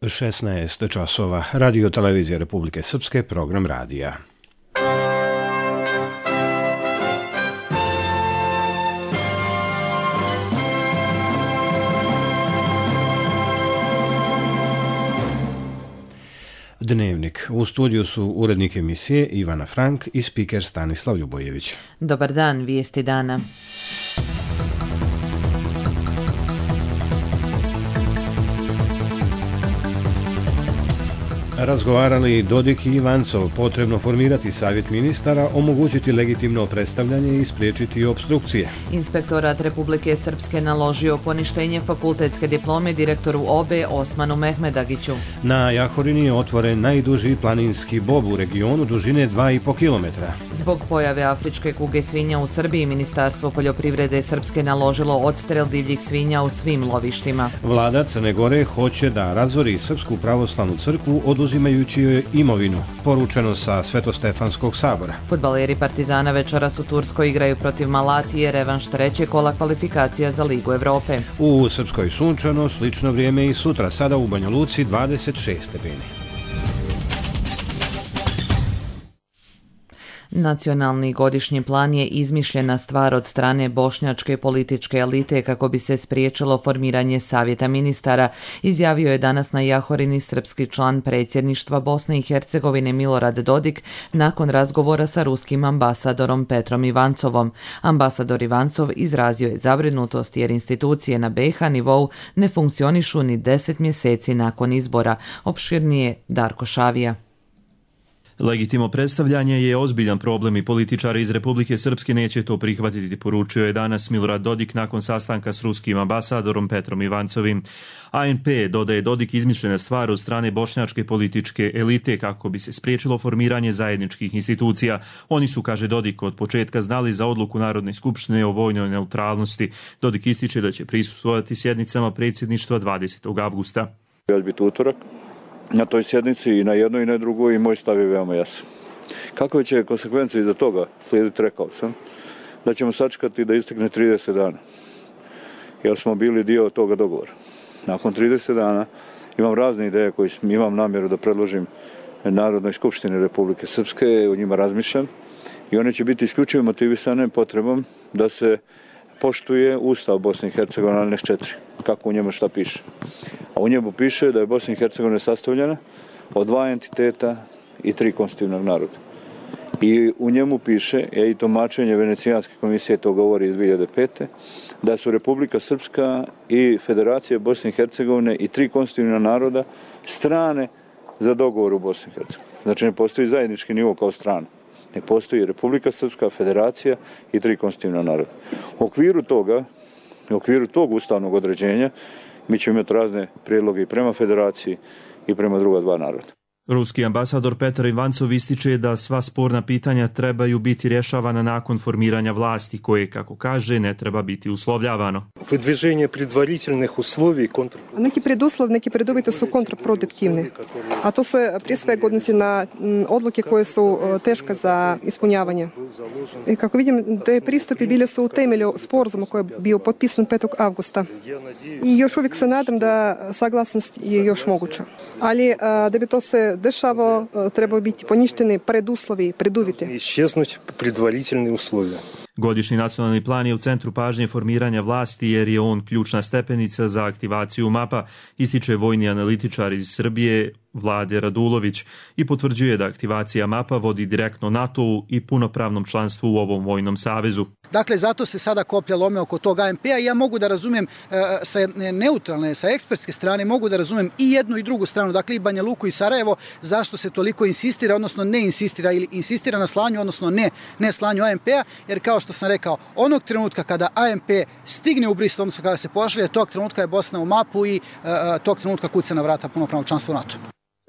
16 časova. Radio Televizija Republike Srpske, program radija. Dnevnik. U studiju su urednik emisije Ivana Frank i spiker Stanislav Ljubojević. Dobar dan, vijesti dana. Razgovarali Dodik i Ivancov, potrebno formirati savjet ministara, omogućiti legitimno predstavljanje i spriječiti opstrukcije. Inspektorat Republike Srpske naložio poništenje fakultetske diplome direktoru OBE Osmanu Mehmedagiću. Na Jahorini je otvoren najduži planinski bob u regionu dužine 2,5 km. Zbog pojave afričke kuge svinja u Srbiji, Ministarstvo poljoprivrede Srpske naložilo odstrel divljih svinja u svim lovištima. Vlada Crne Gore hoće da razori Srpsku pravoslavnu crkvu oduzimajući joj imovinu, poručeno sa Svetostefanskog sabora. Fudbaleri Partizana večeras u Turskoj igraju protiv Malatije, revanš trećeg kola kvalifikacija za Ligu Evrope. U Srpskoj sunčano, slično vrijeme i sutra, sada u Banja Luci 26 stepeni. Nacionalni godišnji plan je izmišljena stvar od strane bošnjačke političke elite kako bi se spriječilo formiranje savjeta ministara, izjavio je danas na Jahorini srpski član predsjedništva Bosne i Hercegovine Milorad Dodik nakon razgovora sa ruskim ambasadorom Petrom Ivancovom. Ambasador Ivancov izrazio je zabrinutost jer institucije na BiH nivou ne funkcionišu ni 10 mjeseci nakon izbora. Opširnije Darko Šavija. Legitimno predstavljanje je ozbiljan problem i političari iz Republike Srpske neće to prihvatiti, poručio je danas Milorad Dodik nakon sastanka s ruskim ambasadorom Petrom Ivancovim. ANP, dodaje Dodik, izmišljena stvar od strane bošnjačke političke elite kako bi se spriječilo formiranje zajedničkih institucija. Oni su, kaže Dodik, od početka znali za odluku Narodne skupštine o vojnoj neutralnosti. Dodik ističe da će prisustvovati sjednicama predsjedništva 20. avgusta. Ja ću biti utorak na toj sjednici i na jednoj i na drugoj i moj stav je veoma jasan. Kakve će konsekvencije iza toga slijediti, rekao sam, da ćemo sačekati da istekne 30 dana, jer smo bili dio toga dogovora. Nakon 30 dana imam razne ideje koje imam namjeru da predložim Narodnoj skupštini Republike Srpske, o njima razmišljam i one će biti isključivo motivisane potrebom da se poštuje Ustav Bosne i Hercegovine, ali ne 4, kako u njemu šta piše. A u njemu piše da je Bosna i Hercegovina sastavljena od 2 entiteta i 3 konstitutivnog naroda. I u njemu piše, i tumačenje Venecijanske komisije to govori iz 2005. da su Republika Srpska i Federacija Bosne i Hercegovine i 3 konstitutivna naroda strane za dogovor u Bosni i Hercegovini. Znači ne postoji zajednički nivo kao strana. Ne postoji Republika Srpska, Federacija i 3 konstitutivna naroda. U okviru tog ustavnog određenja mi ćemo imati razne prijedloge i prema Federaciji i prema druga 2 naroda. Ruski ambasador Petar Ivancov ističe da sva sporna pitanja trebaju biti rješavana nakon formiranja vlasti, koje, kako kaže, ne treba biti uslovljavano. Neki preduslov, neki preduvjeti su kontraproduktivni, a to se prije svega odnosi na odluke koje su teške za ispunjavanje. I kako vidim, te pristupi bili su u temelju sporazuma koji je bio potpisan 5. avgusta. I još uvijek se nadam da saglasnost je još moguća. Ali da bi to se dešavalo, trebaju biti poništeni preduslovi, preduvjeti. Iščeznuti predvaritelji uslovija. Godišnji nacionalni plan je u centru pažnje formiranja vlasti jer je on ključna stepenica za aktivaciju MAP-a, ističe vojni analitičar iz Srbije Vlade Radulović i potvrđuje da aktivacija MAP-a vodi direktno NATO-u i punopravnom članstvu u ovom vojnom savezu. Dakle, zato se sada koplja lome oko tog ANP-a i ja mogu da razumijem sa neutralne, sa ekspertske strane, mogu da razumijem i jednu i drugu stranu, dakle i Banja Luku i Sarajevo, zašto se toliko insistira, odnosno ne insistira ili insistira na slanju, odnosno ne slanju ANP-a, jer kao što sam rekao, onog trenutka kada ANP stigne u Brisel, odnosno kada se pošalje, tog trenutka je Bosna u MAP-u i tog trenutka kuca na vrata punopravnog članstva u NATO.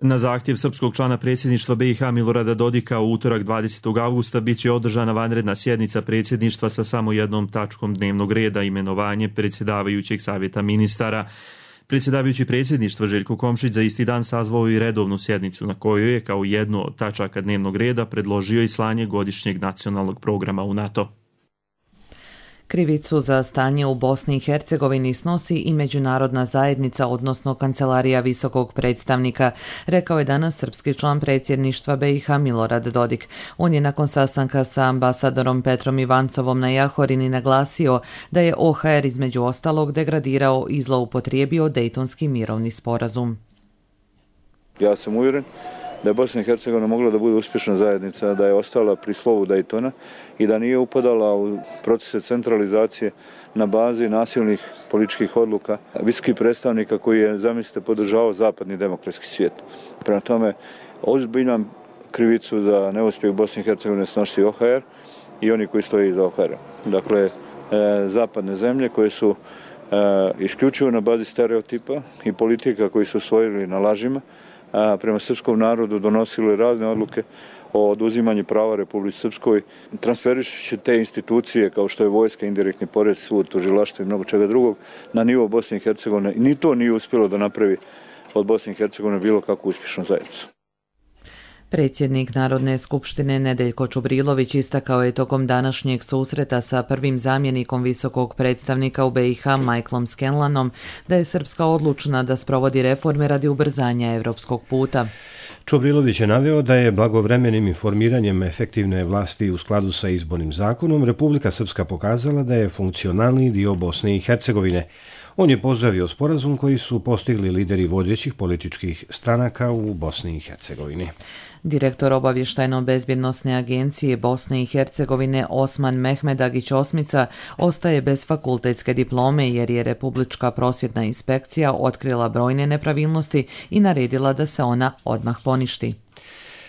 Na zahtjev srpskog člana predsjedništva BiH Milorada Dodika u utorak 20. avgusta bit će održana vanredna sjednica predsjedništva sa samo jednom tačkom dnevnog reda, imenovanje predsjedavajućeg savjeta ministara. Predsjedavajući predsjedništva Željko Komšić za isti dan sazvao i redovnu sjednicu na kojoj je kao jednu od tačaka dnevnog reda predložio i slanje godišnjeg nacionalnog programa u NATO. Krivicu za stanje u Bosni i Hercegovini snosi i međunarodna zajednica, odnosno Kancelarija visokog predstavnika, rekao je danas srpski član predsjedništva BiH Milorad Dodik. On je nakon sastanka sa ambasadorom Petrom Ivancovom na Jahorini naglasio da je OHR između ostalog degradirao i zloupotrijebio Dejtonski mirovni sporazum. Ja sam uvjeren da je Bosna i Hercegovina mogla da bude uspješna zajednica, da je ostala pri slovu Daytona i da nije upadala u procese centralizacije na bazi nasilnih političkih odluka visokih predstavnika koji je, zamislite, podržavao zapadni demokratski svijet. Prema tome, ozbiljnu krivicu za neuspjeh Bosne i Hercegovine snosi OHR i oni koji stoji iza OHR-a. Dakle, zapadne zemlje koje su isključivo na bazi stereotipa i politika koji su usvojili na lažima, prema srpskom narodu donosili razne odluke o oduzimanju prava Republici Srpskoj, transferišući te institucije kao što je vojska, indirektni porez, sud, tužilaštvo i mnogo čega drugog na nivo Bosne i Hercegovine. Ni to nije uspjelo da napravi od Bosne i Hercegovine bilo kakvu uspješnu zajednicu. Predsjednik Narodne skupštine Nedeljko Čubrilović istakao je tokom današnjeg susreta sa prvim zamjenikom visokog predstavnika u BiH Michaelom Scanlanom da je Srpska odlučna da sprovodi reforme radi ubrzanja evropskog puta. Čubrilović je naveo da je blagovremenim informiranjem efektivne vlasti u skladu sa izbornim zakonom Republika Srpska pokazala da je funkcionalni dio Bosne i Hercegovine. On je pozdravio sporazum koji su postigli lideri vodećih političkih stranaka u Bosni i Hercegovini. Direktor obavještajno-bezbjednosne agencije Bosne i Hercegovine Osman Mehmedagić Osmica ostaje bez fakultetske diplome jer je Republička prosvjetna inspekcija otkrila brojne nepravilnosti i naredila da se ona odmah poništi.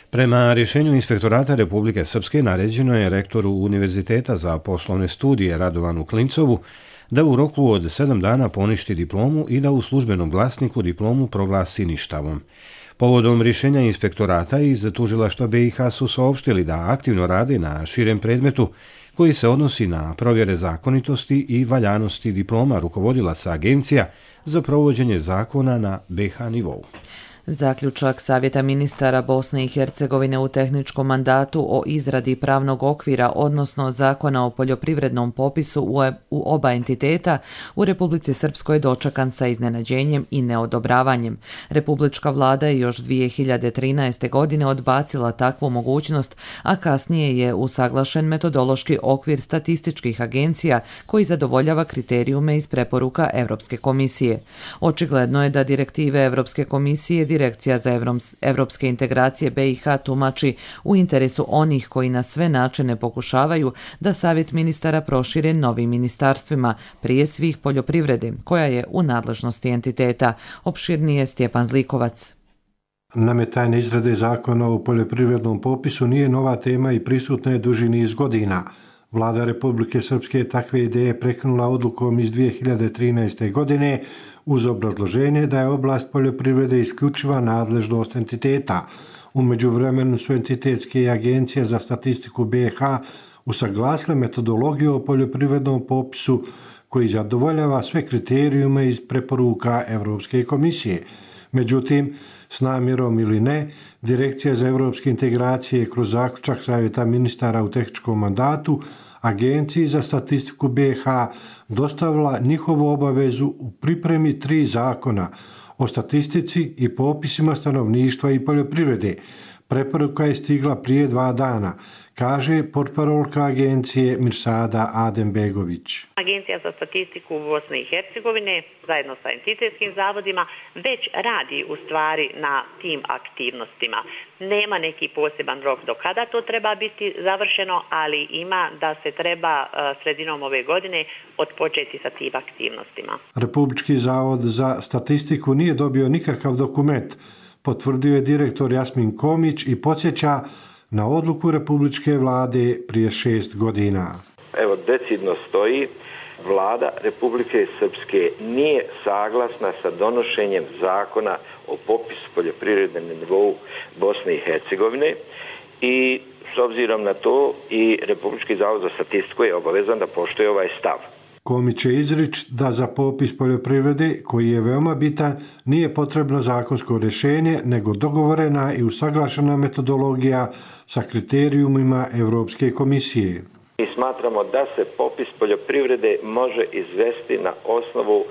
Prema rješenju Inspektorata Republike Srpske naređeno je rektoru Univerziteta za poslovne studije Radovanu Klincovu da u roku od 7 dana poništi diplomu i da u službenom glasniku diplomu proglasi ništavom. Povodom rješenja inspektorata iz tužilaštva BiH su saopštili da aktivno rade na širem predmetu koji se odnosi na provjere zakonitosti i valjanosti diploma rukovodilaca agencija za provođenje zakona na BiH nivou. Zaključak Savjeta ministara Bosne i Hercegovine u tehničkom mandatu o izradi pravnog okvira, odnosno zakona o poljoprivrednom popisu u oba entiteta u Republici Srpskoj dočekan sa iznenađenjem i neodobravanjem. Republička vlada je još 2013. godine odbacila takvu mogućnost, a kasnije je usaglašen metodološki okvir statističkih agencija koji zadovoljava kriterijume iz preporuka Evropske komisije. Očigledno je da direktive Evropske komisije Direkcija za evropske integracije BiH tumači u interesu onih koji na sve načine pokušavaju da Savjet ministara prošire novim ministarstvima, prije svih poljoprivrede, koja je u nadležnosti entiteta. Opširnije Stjepan Zlikovac. Nametanje izrade zakona o poljoprivrednom popisu nije nova tema i prisutna je duži niz godina. Vlada Republike Srpske takve ideje prekinula odlukom iz 2013. godine uz obrazloženje da je oblast poljoprivrede isključiva nadležnost entiteta. U međuvremenu su entitetske i agencije za statistiku BiH usaglasile metodologiju o poljoprivrednom popisu koji zadovoljava sve kriterijume iz preporuka Evropske komisije. Međutim, s namjerom ili ne, Direkcija za evropske integracije kroz zaključak Savjeta ministara u tehničkom mandatu Agenciji za statistiku BiH dostavila njihovu obavezu u pripremi 3 zakona o statistici i popisima stanovništva i poljoprivrede. Preporuka je stigla prije 2 dana, kaže portparolka agencije Mirsada Adembegović. Agencija za statistiku Bosne i Hercegovine zajedno sa entitetskim zavodima već radi u stvari na tim aktivnostima. Nema neki poseban rok do kada to treba biti završeno, ali ima da se treba sredinom ove godine odpočeti sa tim aktivnostima. Republički zavod za statistiku nije dobio nikakav dokument, potvrdio je direktor Jasmin Komić i podsjeća na odluku Republičke vlade prije 6 godina. Evo, decidno stoji, vlada Republike Srpske nije saglasna sa donošenjem zakona o popisu poljoprivrede na nivou Bosne i Hercegovine i s obzirom na to i Republički zavod za statistiku je obavezan da poštuje ovaj stav. Komić će izrič da za popis poljoprivrede, koji je veoma bitan, nije potrebno zakonsko rješenje, nego dogovorena i usaglašena metodologija sa kriterijumima Evropske komisije. I smatramo da se popis poljoprivrede može izvesti na osnovu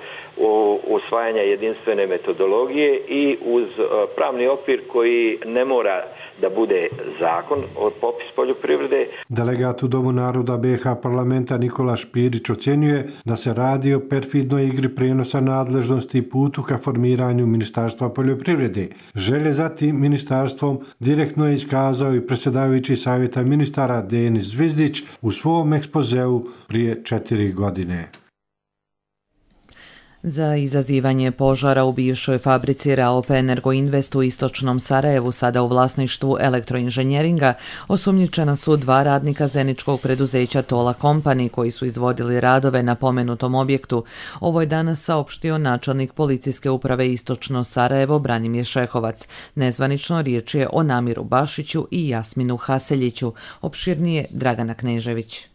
usvajanja jedinstvene metodologije i uz pravni okvir koji ne mora da bude zakon o popis poljoprivrede. Delegat u Domu naroda BiH parlamenta Nikola Špirić ocjenjuje da se radi o perfidnoj igri prijenosa nadležnosti i putu ka formiranju Ministarstva poljoprivrede. Želje za tim ministarstvom direktno je iskazao i predsjedavajući savjeta ministara Denis Zvizdić u svom ekspozeu prije 4 godine. Za izazivanje požara u bivšoj fabrici Raop Energoinvest u istočnom Sarajevu, sada u vlasništvu elektroinženjeringa, osumnjičena su 2 radnika zeničkog preduzeća Tola Company koji su izvodili radove na pomenutom objektu. Ovo je danas saopštio načelnik policijske uprave Istočno Sarajevo Branimir Šehovac. Nezvanično riječ je o Namiru Bašiću i Jasminu Haseljiću. Opširnije Dragana Knežević.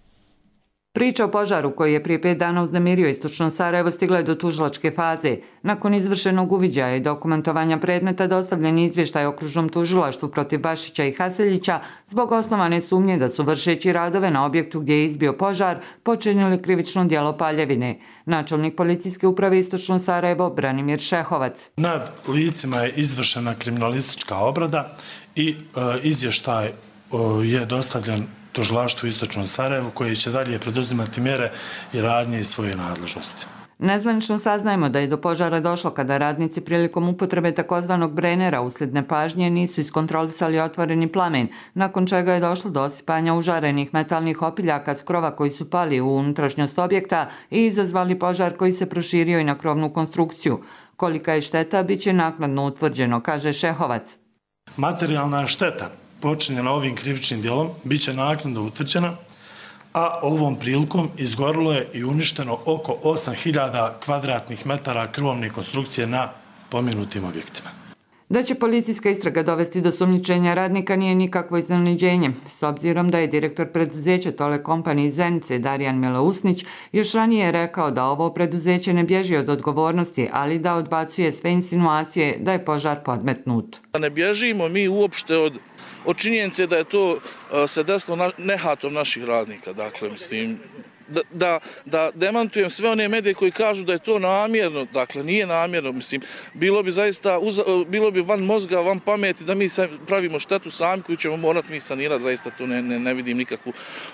Priča o požaru koji je prije 5 dana uznemirio Istočno Sarajevo stigla je do tužilačke faze. Nakon izvršenog uviđaja i dokumentovanja predmeta dostavljen izvještaj okružnom tužilaštvu protiv Bašića i Haseljića zbog osnovane sumnje da su vršeći radove na objektu gdje je izbio požar počinili krivično djelo paljevine. Načelnik policijske uprave Istočno Sarajevo Branimir Šehovac. Nad licima je izvršena kriminalistička obrada i izvještaj je dostavljen tužilaštvu Istočnom Sarajevu koji će dalje preduzimati mjere i radnje iz svoje nadležnosti. Nezvanično saznajemo da je do požara došlo kada radnici prilikom upotrebe takozvanog brenera uslijed nepažnje nisu iskontrolisali otvoreni plamen, nakon čega je došlo do osipanja užarenih metalnih opiljaka s krova koji su pali u unutrašnjost objekta i izazvali požar koji se proširio i na krovnu konstrukciju. Kolika je šteta, bit će naknadno utvrđeno, kaže Šehovac. Materijalna šteta počinjena ovim krivičnim djelom bit će naknadno utvrđena, a ovom prilikom izgorilo je i uništeno oko 8000 kvadratnih metara krovne konstrukcije na pomenutim objektima. Da će policijska istraga dovesti do sumnjičenja radnika nije nikakvo iznenađenje, s obzirom da je direktor preduzeća Tole Company iz Zenice Darijan Milousnić još ranije rekao da ovo preduzeće ne bježi od odgovornosti, ali da odbacuje sve insinuacije da je požar podmetnut. Ne bježimo mi uopšte od činjenice da je to se desilo nehatom naših radnika. Dakle, mislim, da demantujem sve one medije koji kažu da je to namjerno, dakle nije namjerno, mislim, bilo bi van mozga, van pameti da mi pravimo štetu sami koju ćemo morati mi sanirati, zaista to ne vidim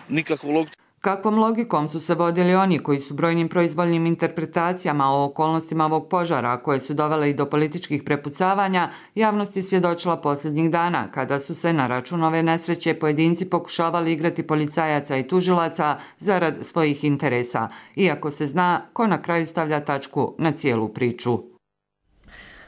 nikakvu logiku. Kakvom logikom su se vodili oni koji su brojnim proizvoljnim interpretacijama o okolnostima ovog požara, koje su dovele i do političkih prepucavanja, javnost je svjedočila posljednjih dana, kada su se na račun ove nesreće pojedinci pokušavali igrati policajaca i tužilaca zarad svojih interesa, iako se zna ko na kraju stavlja tačku na cijelu priču.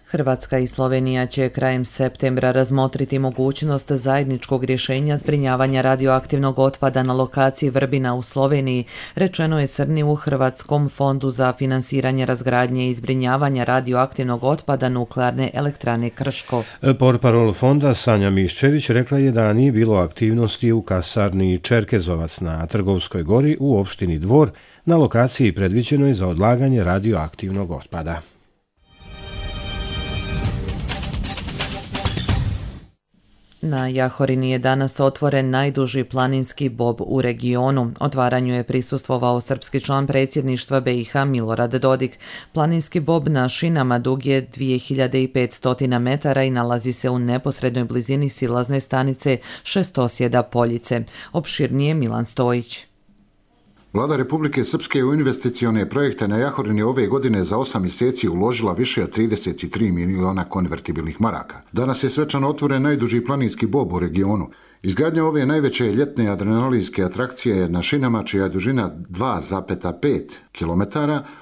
Hrvatska i Slovenija će krajem septembra razmotriti mogućnost zajedničkog rješenja zbrinjavanja radioaktivnog otpada na lokaciji Vrbina u Sloveniji, rečeno je Srni u Hrvatskom fondu za finansiranje razgradnje i zbrinjavanja radioaktivnog otpada Nuklearne elektrane Krško. Portparol fonda Sanja Miščević rekla je da nije bilo aktivnosti u kasarni Čerkezovac na Trgovskoj gori u opštini Dvor, na lokaciji predviđenoj za odlaganje radioaktivnog otpada. Na Jahorini je danas otvoren najduži planinski bob u regionu. Otvaranju je prisustvovao srpski član predsjedništva BiH Milorad Dodik. Planinski bob na šinama dug je 2500 metara i nalazi se u neposrednoj blizini silazne stanice Šestosjeda Poljice. Opširnije Milan Stojić. Vlada Republike Srpske u investicione projekte na Jahorini ove godine za 8 mjeseci uložila više od 33 miliona konvertibilnih maraka. Danas je svečano otvoren najduži planinski bob u regionu. Izgradnja ove najveće ljetne adrenalinske atrakcije na šinama, čija je dužina 2,5 km,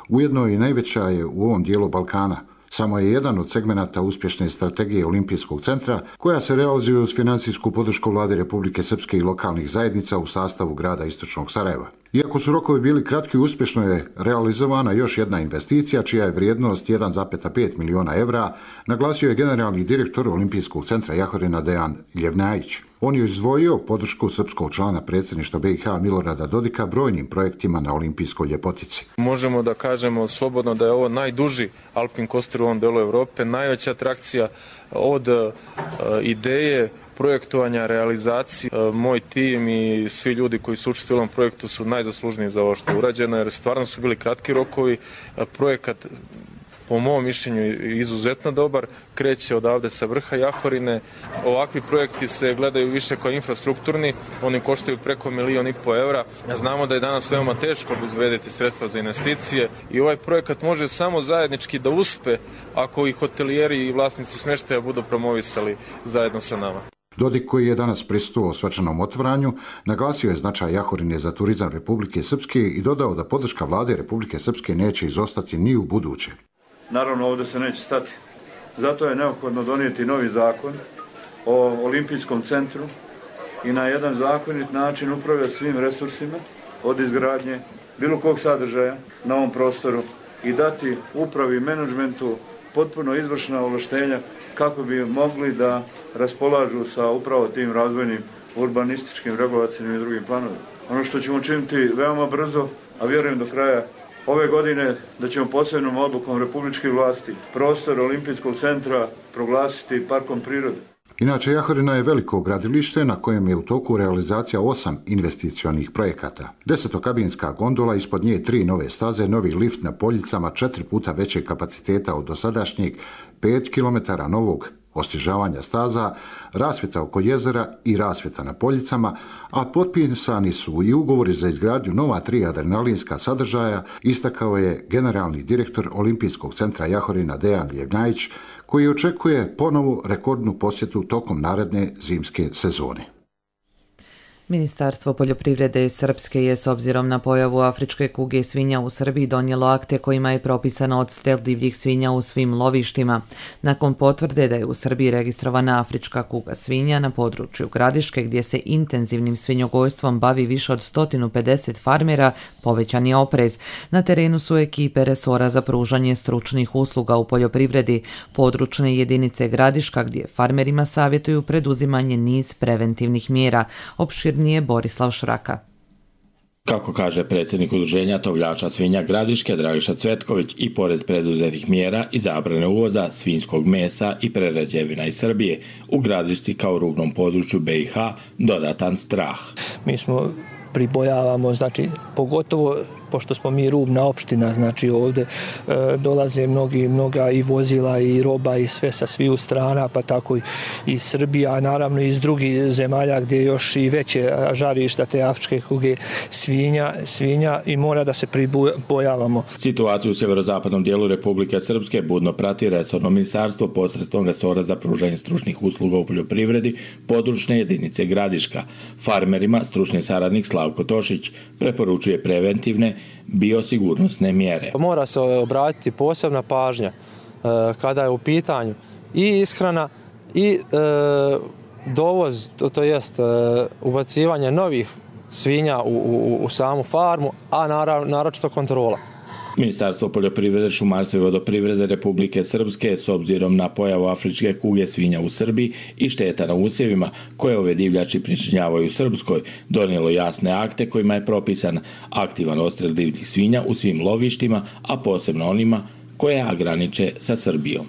ujedno i najveća je u ovom dijelu Balkana. Samo je jedan od segmenata uspješne strategije Olimpijskog centra, koja se realizuje uz financijsku podršku Vlade Republike Srpske i lokalnih zajednica u sastavu grada Istočnog Sarajeva. Iako su rokovi bili kratki, uspješno je realizovana još jedna investicija, čija je vrijednost 1,5 miliona evra, naglasio je generalni direktor Olimpijskog centra Jahorina Dejan Ljevnajić. On je izdvojio podršku srpskog člana predsjedništva BiH Milorada Dodika brojnim projektima na olimpijskoj ljepotici. Možemo da kažemo slobodno da je ovo najduži alpin coaster u ovom delu Europe, najveća atrakcija od ideje projektovanja, realizacije. Moj tim i svi ljudi koji su učestvovali u ovom projektu su najzaslužniji za ovo što je urađeno, jer stvarno su bili kratki rokovi. Projekat, po mom mišljenju, izuzetno dobar, kreće odavde sa vrha Jahorine. Ovakvi projekti se gledaju više kao infrastrukturni, oni koštaju preko 1,5 miliona evra. Znamo da je danas veoma teško obezbediti sredstva za investicije i ovaj projekat može samo zajednički da uspe ako i hotelijeri i vlasnici smještaja budu promovisali zajedno sa nama. Dodik, koji je danas prisustvovao svečanom otvaranju, naglasio je značaj Jahorine za turizam Republike Srpske i dodao da podrška vlade Republike Srpske neće izostati ni u buduće. Naravno, ovdje se neće stati. Zato je neophodno donijeti novi zakon o olimpijskom centru i na jedan zakonit način upravljati svim resursima od izgradnje bilo kog sadržaja na ovom prostoru i dati upravi i menadžmentu potpuno izvršna ovlaštenja kako bi mogli da raspolažu sa upravo tim razvojnim urbanističkim, regulacijnim i drugim planovima. Ono što ćemo činiti veoma brzo, a vjerujem do kraja ove godine, da ćemo posebnom odlukom republičke vlasti prostor Olimpijskog centra proglasiti parkom prirode. Inače, Jahorina je veliko gradilište na kojem je u toku realizacija 8 investicionih projekata. 10-kabinska gondola, ispod nje 3 nove staze, novi lift na Poljicama 4 puta većeg kapaciteta od dosadašnjeg, 5 km novog osvježavanja staza, rasvjeta oko jezera i rasvjeta na Poljicama, a potpisani su i ugovori za izgradnju nova 3 adrenalinska sadržaja, istakao je generalni direktor Olimpijskog centra Jahorina Dejan Ljevnjajić, koji očekuje ponovu rekordnu posjetu tokom naredne zimske sezone. Ministarstvo poljoprivrede Srpske je s obzirom na pojavu afričke kuge svinja u Srbiji donijelo akte kojima je propisano odstrel divljih svinja u svim lovištima. Nakon potvrde da je u Srbiji registrovana afrička kuga svinja na području Gradiške, gdje se intenzivnim svinjogojstvom bavi više od 150 farmera, povećan je oprez. Na terenu su ekipe resora za pružanje stručnih usluga u poljoprivredi, područne jedinice Gradiška, gdje farmerima savjetuju preduzimanje niz preventivnih mjera. Nije Borislav Šraka. Kako kaže predsjednik udruženja tovljača svinja Gradiške Dragiša Cvetković, i pored preduzetih mjera i zabrane uvoza svinjskog mesa i prerađevina iz Srbije, u Gradišci kao rubnom području BiH dodatan strah. Mi smo pribojavamo, znači pogotovo pošto smo mi rubna opština, znači ovdje dolaze mnoga i vozila i roba i sve sa sviju strana, pa tako i Srbija, a naravno i iz drugih zemalja gdje je još i veće žarišta te afričke kuge svinja i mora da se pribojavamo. Situaciju u sjeverozapadnom dijelu Republike Srpske budno prati resorno ministarstvo posredstvom resora za pružanje stručnih usluga u poljoprivredi, područne jedinice Gradiška. Farmerima stručni saradnik Slavko Tošić preporučuje preventivne biosigurnosne mjere. Mora se obratiti posebna pažnja kada je u pitanju i ishrana i dovoz, to jest ubacivanje novih svinja u samu farmu, a naročito kontrola. Ministarstvo poljoprivrede, šumarstva i vodoprivrede Republike Srpske, s obzirom na pojavu afričke kuge svinja u Srbiji i šteta na usjevima koje ove divljači pričinjavaju u Srpskoj, donijelo jasne akte kojima je propisan aktivan odstrel divljih svinja u svim lovištima, a posebno onima koje graniče sa Srbijom.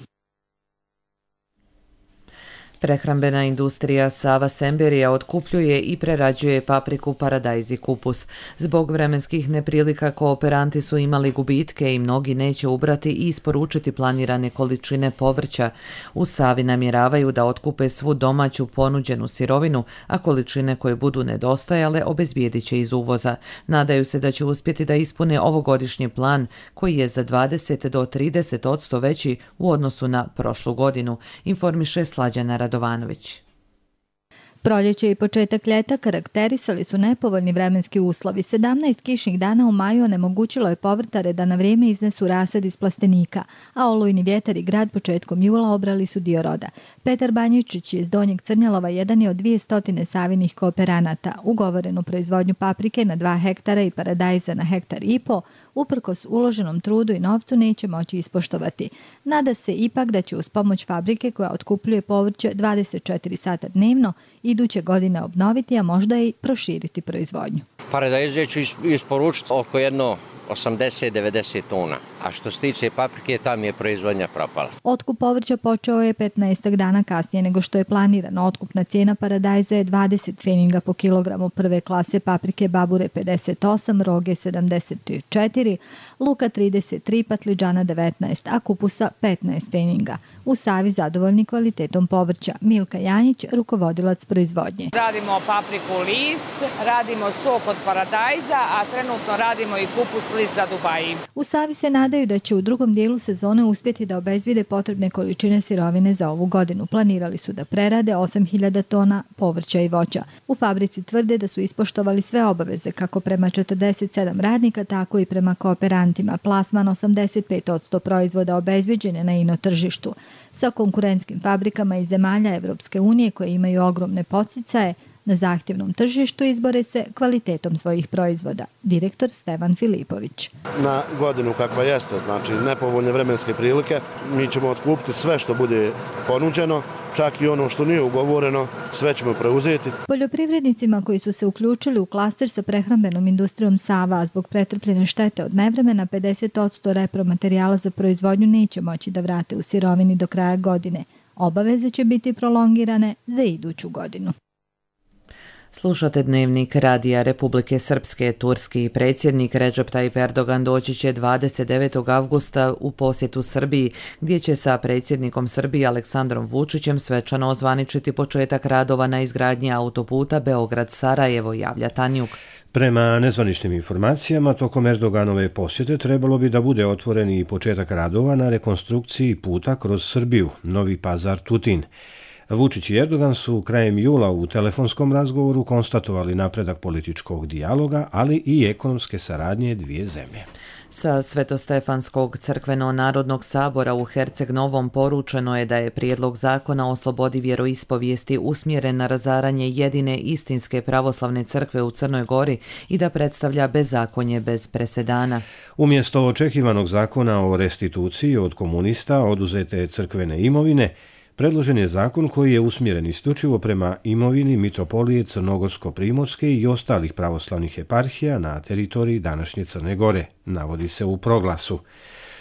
Prehrambena industrija Sava Semberija otkupljuje i prerađuje papriku, paradajz i kupus. Zbog vremenskih neprilika kooperanti su imali gubitke i mnogi neće ubrati i isporučiti planirane količine povrća. U Savi namjeravaju da otkupe svu domaću ponuđenu sirovinu, a količine koje budu nedostajale obezbijedit će iz uvoza. Nadaju se da će uspjeti da ispune ovogodišnji plan, koji je za 20 do 30% veći u odnosu na prošlu godinu, informiše Slađana Radovanović. Proljeće i početak ljeta karakterisali su nepovoljni vremenski uslovi. 17 kišnih dana u maju onemogućilo je povrtare da na vrijeme iznesu rasad iz plastenika, a olujni vjetar i grad početkom jula obrali su dio roda. Petar Banjičić iz Donjeg Crnjalova jedan je od 200 savinih kooperanata. Ugovorenu proizvodnju paprike na 2 hektara i paradajza na 1,5 hektara uprkos uloženom trudu i novcu neće moći ispoštovati. Nada se ipak da će uz pomoć fabrike koja otkupljuje povrće 24 sata dnevno iduće godine obnoviti, a možda i proširiti proizvodnju. Paradajze ću isporučiti oko jedno 80-90 tona. A što se tiče paprike, tam je proizvodnja propala. Otkup povrća počeo je 15 dana kasnije nego što je planirano. Otkupna cijena paradajza je 20 pfeninga po kilogramu, prve klase paprike babure 58, roge 74, luka 33, patliđana 19, a kupusa 15 pfeninga. U Savi zadovoljni kvalitetom povrća. Milka Janjić, rukovodilac proizvodnje. Radimo papriku list, radimo sok od paradajza, a trenutno radimo i kupus list za Dubaji. U Savi se nadaju da će u drugom dijelu sezone uspjeti da obezbijede potrebne količine sirovine za ovu godinu. Planirali su da prerade 8.000 tona povrća i voća. U fabrici tvrde da su ispoštovali sve obaveze, kako prema 47 radnika, tako i prema kooperantima. Plasman 85% proizvoda obezbijeđen je na ino tržištu. Sa konkurentskim fabrikama iz zemalja Evropske unije koje imaju ogromne podsticaje, na zahtjevnom tržištu izbore se kvalitetom svojih proizvoda. Direktor Stevan Filipović. Na godinu kakva jeste, znači nepovoljne vremenske prilike, mi ćemo otkupiti sve što bude ponuđeno, čak i ono što nije ugovoreno, sve ćemo preuzeti. Poljoprivrednicima koji su se uključili u klaster sa prehrambenom industrijom Sava zbog pretrpljene štete od nevremena, 50% repromaterijala za proizvodnju neće moći da vrate u sirovini do kraja godine. Obaveze će biti prolongirane za iduću godinu. Slušate Dnevnik Radija Republike Srpske. Turski predsjednik Recep Tayyip Erdogan doći će 29. avgusta u posjetu Srbiji, gdje će sa predsjednikom Srbije Aleksandrom Vučićem svečano ozvaničiti početak radova na izgradnji autoputa Beograd-Sarajevo, javlja Tanjuk. Prema nezvaničnim informacijama, tokom Erdoganove posjete trebalo bi da bude otvoren i početak radova na rekonstrukciji puta kroz Srbiju, Novi Pazar-Tutin. Vučić i Erdogan su krajem jula u telefonskom razgovoru konstatovali napredak političkog dijaloga, ali i ekonomske saradnje dvije zemlje. Sa Svetostefanskog crkveno-narodnog sabora u Herceg-Novom poručeno je da je prijedlog zakona o slobodi vjeroispovijesti usmjeren na razaranje jedine istinske pravoslavne crkve u Crnoj Gori i da predstavlja bezakonje bez presedana. Umjesto očekivanog zakona o restituciji od komunista oduzete crkvene imovine, predložen je zakon koji je usmjeren isključivo prema imovini mitropolije Crnogorsko-Primorske i ostalih pravoslavnih eparhija na teritoriji današnje Crne Gore, navodi se u proglasu.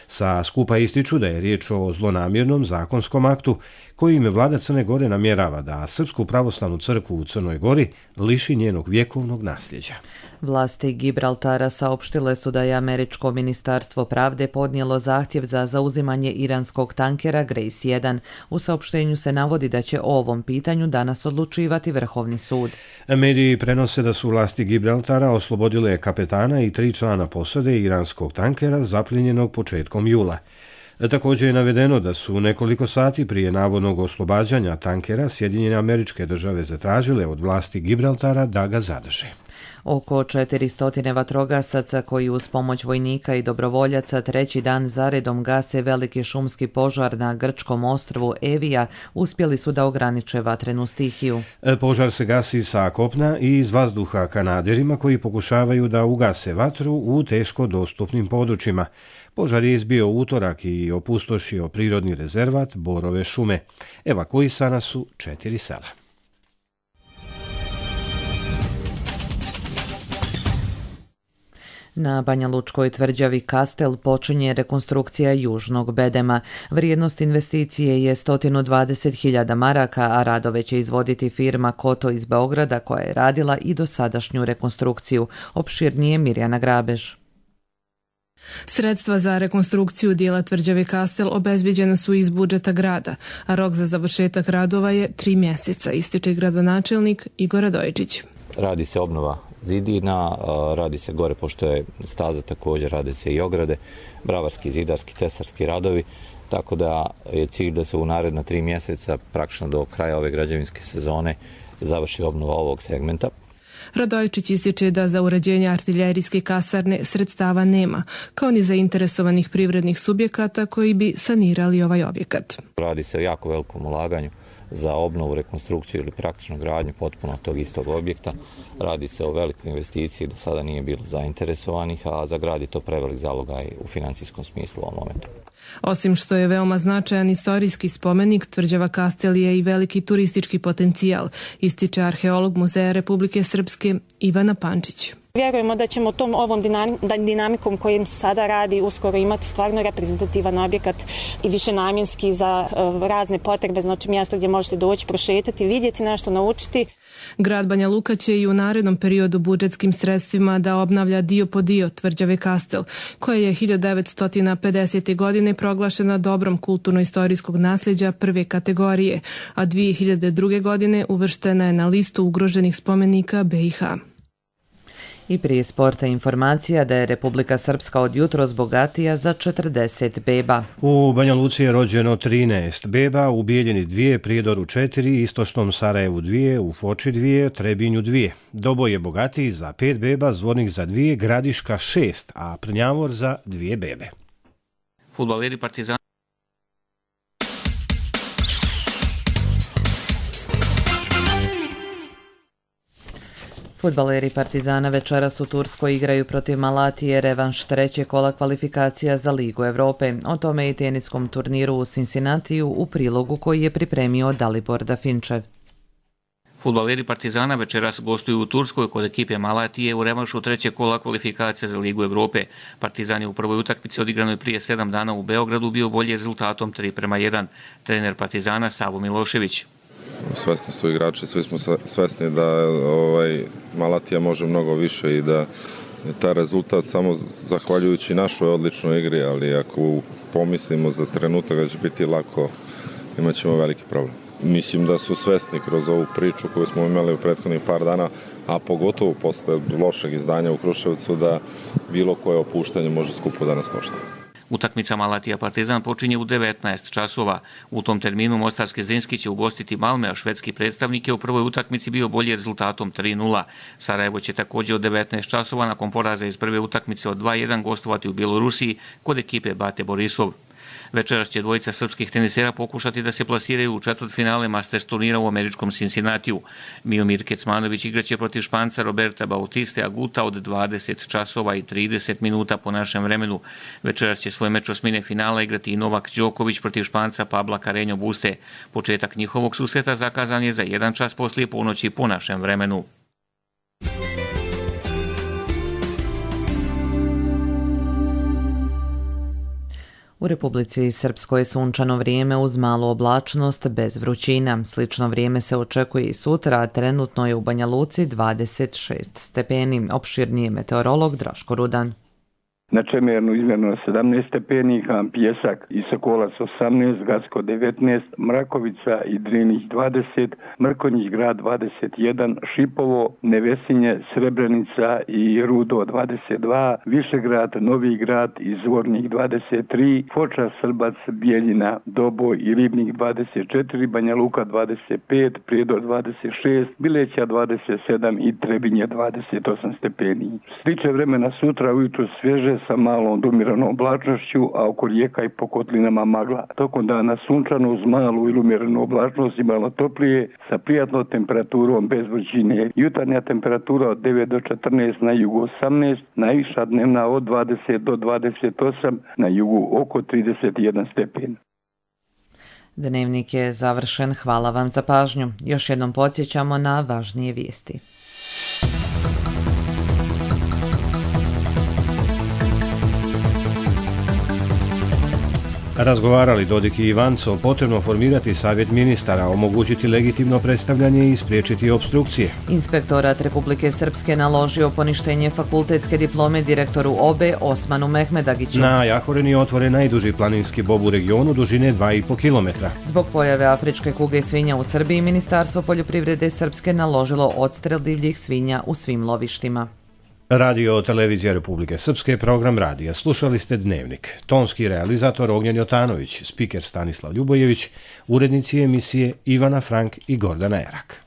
Sa skupa ističu da je riječ o zlonamjernom zakonskom aktu kojim vlada Crne Gore namjerava da Srpsku pravoslavnu crkvu u Crnoj Gori liši njenog vjekovnog nasljeđa. Vlasti Gibraltara saopštile su da je Američko ministarstvo pravde podnijelo zahtjev za zauzimanje iranskog tankera Grace 1. U saopštenju se navodi da će o ovom pitanju danas odlučivati Vrhovni sud. Mediji prenose da su vlasti Gibraltara oslobodile kapetana i 3 člana posade iranskog tankera zapljenjenog početkom jula. Također je navedeno da su nekoliko sati prije navodnog oslobađanja tankera Sjedinjene Američke Države zatražile od vlasti Gibraltara da ga zadrže. Oko 400 vatrogasaca koji uz pomoć vojnika i dobrovoljaca treći dan zaredom gase veliki šumski požar na grčkom ostrvu Evija uspjeli su da ograniče vatrenu stihiju. Požar se gasi sa kopna i iz vazduha kanaderima koji pokušavaju da ugase vatru u teško dostupnim područjima. Požar je izbio utorak i opustošio prirodni rezervat Borove šume. Evakuisana su 4 sela. Na Banja Lučkoj tvrđavi Kastel počinje rekonstrukcija južnog bedema. Vrijednost investicije je 120.000 maraka, a radove će izvoditi firma Koto iz Beograda koja je radila i dosadašnju rekonstrukciju. Opširnije Mirjana Grabež. Sredstva za rekonstrukciju dijela tvrđave Kastel obezbiđena su iz budžeta grada, a rok za završetak radova je 3 mjeseca, ističe gradonačelnik Igor Radojičić. Radi se obnova zidina, radi se gore, pošto je staza također, radi se i ograde, bravarski, zidarski, tesarski radovi, tako da je cilj da se u naredna 3 mjeseca, praktično do kraja ove građevinske sezone, završi obnova ovog segmenta. Radojičić ističe da za uređenje artiljerijske kasarne sredstava nema, kao ni zainteresovanih privrednih subjekata koji bi sanirali ovaj objekat. Radi se o jako velikom ulaganju za obnovu, rekonstrukciju ili praktično gradnju potpuno tog istog objekta. Radi se o velikoj investiciji, do sada nije bilo zainteresovanih, a za grad je to prevelik zalogaj u financijskom smislu u ovom momentu. Osim što je veoma značajan istorijski spomenik, tvrđava Kastel je i veliki turistički potencijal, ističe arheolog Muzeja Republike Srpske Ivana Pančić. Vjerujemo da ćemo ovom dinamikom kojim sada radi uskoro imati stvarno reprezentativan objekat i višenamjenski za razne potrebe, znači mjesto gdje možete doći, prošetati, vidjeti nešto, naučiti. Grad Banja Luka će i u narednom periodu budžetskim sredstvima da obnavlja dio po dio tvrđave Kastel, koja je 1950. godine proglašena dobrom kulturno-istorijskog nasljeđa prve kategorije, a 2002. godine uvrštena je na listu ugroženih spomenika BiH. I prije sporta informacija da je Republika Srpska od jutros bogatija za 40 beba. U Banja Luci je rođeno 13 beba, u Bijeljini 2, Prijedoru 4, Istočnom Sarajevu 2, u Foči 2, Trebinju 2. Doboj je bogatiji za 5 beba, Zvornik za 2, Gradiška 6, a Prnjavor za 2 bebe. Fudbaleri Partizana Fudbaleri Partizana večeras u Turskoj igraju protiv Malatije revanš trećeg kola kvalifikacija za Ligu Evrope. O tome i teniskom turniru u Cincinnatiju u prilogu koji je pripremio Dalibor Dafinčev. Fudbaleri Partizana večeras gostuju u Turskoj kod ekipe Malatije u revanšu trećeg kola kvalifikacija za Ligu Evrope. Partizan je u prvoj utakmici odigranoj prije 7 dana u Beogradu bio bolji rezultatom 3:1. Trener Partizana Savo Milošević. Svesni su igrači, svi smo svesni da Malatija može mnogo više i da je taj rezultat samo zahvaljujući našoj odličnoj igri, ali ako pomislimo za trenutak da će biti lako, imat ćemo veliki problem. Mislim da su svesni kroz ovu priču koju smo imali u prethodnih par dana, a pogotovo posle lošeg izdanja u Kruševcu, da bilo koje opuštanje može skupo da nas košta. Utakmica Malatija Partizan počinje u 19 časova. U tom terminu Mostarski Zrinski će ugostiti Malme, a švedski predstavnik je u prvoj utakmici bio bolji rezultatom 3:0. Sarajevo će također u 19 časova nakon poraza iz prve utakmice od 2:1 gostovati u Bjelorusiji kod ekipe Bate Borisov. Večeras će dvojica srpskih tenisera pokušati da se plasiraju u četvrtfinale Masters turnira u američkom Cincinnatiju. Miomir Kecmanović igraće protiv Španca Roberta Bautiste Aguta od 20 časova i 30 minuta po našem vremenu. Večeras će svoj meč osmine finala igrati i Novak Đoković protiv Španca Pabla Carreño Buste. Početak njihovog susreta zakazan je za 1 čas poslije ponoći po našem vremenu. U Republici Srpskoj je sunčano vrijeme uz malu oblačnost bez vrućina. Slično vrijeme se očekuje i sutra, a trenutno je u Banja Luci 26 stepeni. Opširniji meteorolog Draško Rudan. Na Čemernu izmjerno 17 stepenika, Pjesak i Sokolac 18, Gacko 19, Mrakovica i Drinih 20, Mrkonjić grad 21, Šipovo, Nevesinje, Srebrenica i Rudo 22, Višegrad, Novi grad i Zvornik 23, Foča, Srbac, Bijeljina, Doboj i Ribnik 24, Banja Luka 25, Prijedor 26, Bileća 27 i Trebinje 28 stepeni. Sliče vremena sutra ujutro svježe sa malom umjerenom oblačnošću, a oko rijeka i po kotlinama magla. Tokom dana sunčano uz malu ili umjerenu oblačnost i malo toplije sa prijatnom temperaturom bez vrućine. Jutarnja temperatura od 9 do 14, na jugu 18, najviša dnevna od 20 do 28, na jugu oko 31 stepen. Dnevnik je završen. Hvala vam za pažnju. Još jednom podsjećamo na važnije vijesti. Razgovarali Dodik i Ivanco, potrebno formirati savjet ministara, omogućiti legitimno predstavljanje i spriječiti opstrukcije. Inspektorat Republike Srpske naložio poništenje fakultetske diplome direktoru OBE Osmanu Mehmedagiću. Na Jahorini je otvoren najduži planinski bob u regionu dužine 2,5 km. Zbog pojave afričke kuge svinja u Srbiji, Ministarstvo poljoprivrede Srpske naložilo odstrel divljih svinja u svim lovištima. Radio Televizija Republike Srpske, program radija. Slušali ste Dnevnik. Tonski realizator Ognjen Jotanović, spiker Stanislav Ljubojević, urednici emisije Ivana Frank i Gordana Erak.